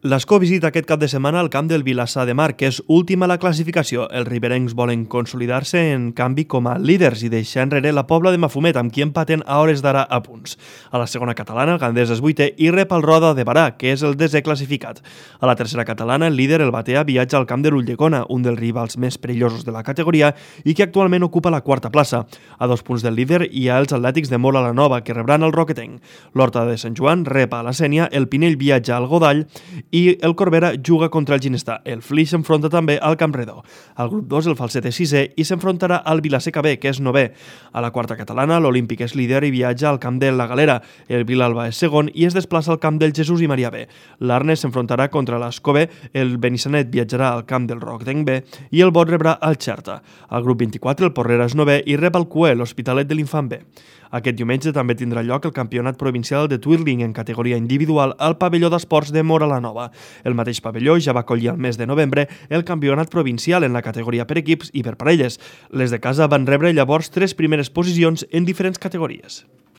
L'Escó visita aquest cap de setmana al camp del Vilassar de Mar, que és última a la classificació. Els riberencs volen consolidar-se en canvi com a líders i deixar enrere la Pobla de Mafumet, amb qui empaten a hores d'ara a punts. A la segona catalana, el Gandés és vuitè i rep el Roda de Barà, que és el desè classificat. A la tercera catalana, el líder, el Batea, viatja al camp de l'Ulldecona, un dels rivals més perillosos de la categoria i que actualment ocupa la quarta plaça. A 2 punts del líder hi ha els atlètics de Móra la Nova, que rebran el Roquetenc. L'Horta de Sant Joan rep a la Sénia, el Pinell viatja al Godall i el Corbera juga contra el Ginestà. El Flix s'enfronta també al Camp Redó. Al grup 2 el Falset és sisè i s'enfrontarà al Vilaseca B, que és novè. A la quarta catalana l'Olímpic és líder i viatja al camp de la Galera. El Vilalba és segon i es desplaça al camp del Jesús i Maria B. L'Arnes s'enfrontarà contra l'Escó B, el Benissanet viatjarà al camp del Roquetenc B i el Bot rebrà al Xerta. Al grup 24 el Porrera és novè i rep el Cué, l'Hospitalet de l'Infant B. Aquest diumenge també tindrà lloc el campionat provincial de twirling en categoria individual al pavelló d'esports de Móra la Nova. El mateix pavelló ja va acollir al mes de novembre el campionat provincial en la categoria per equips i per parelles. Les de casa van rebre llavors 3 primeres posicions en diferents categories.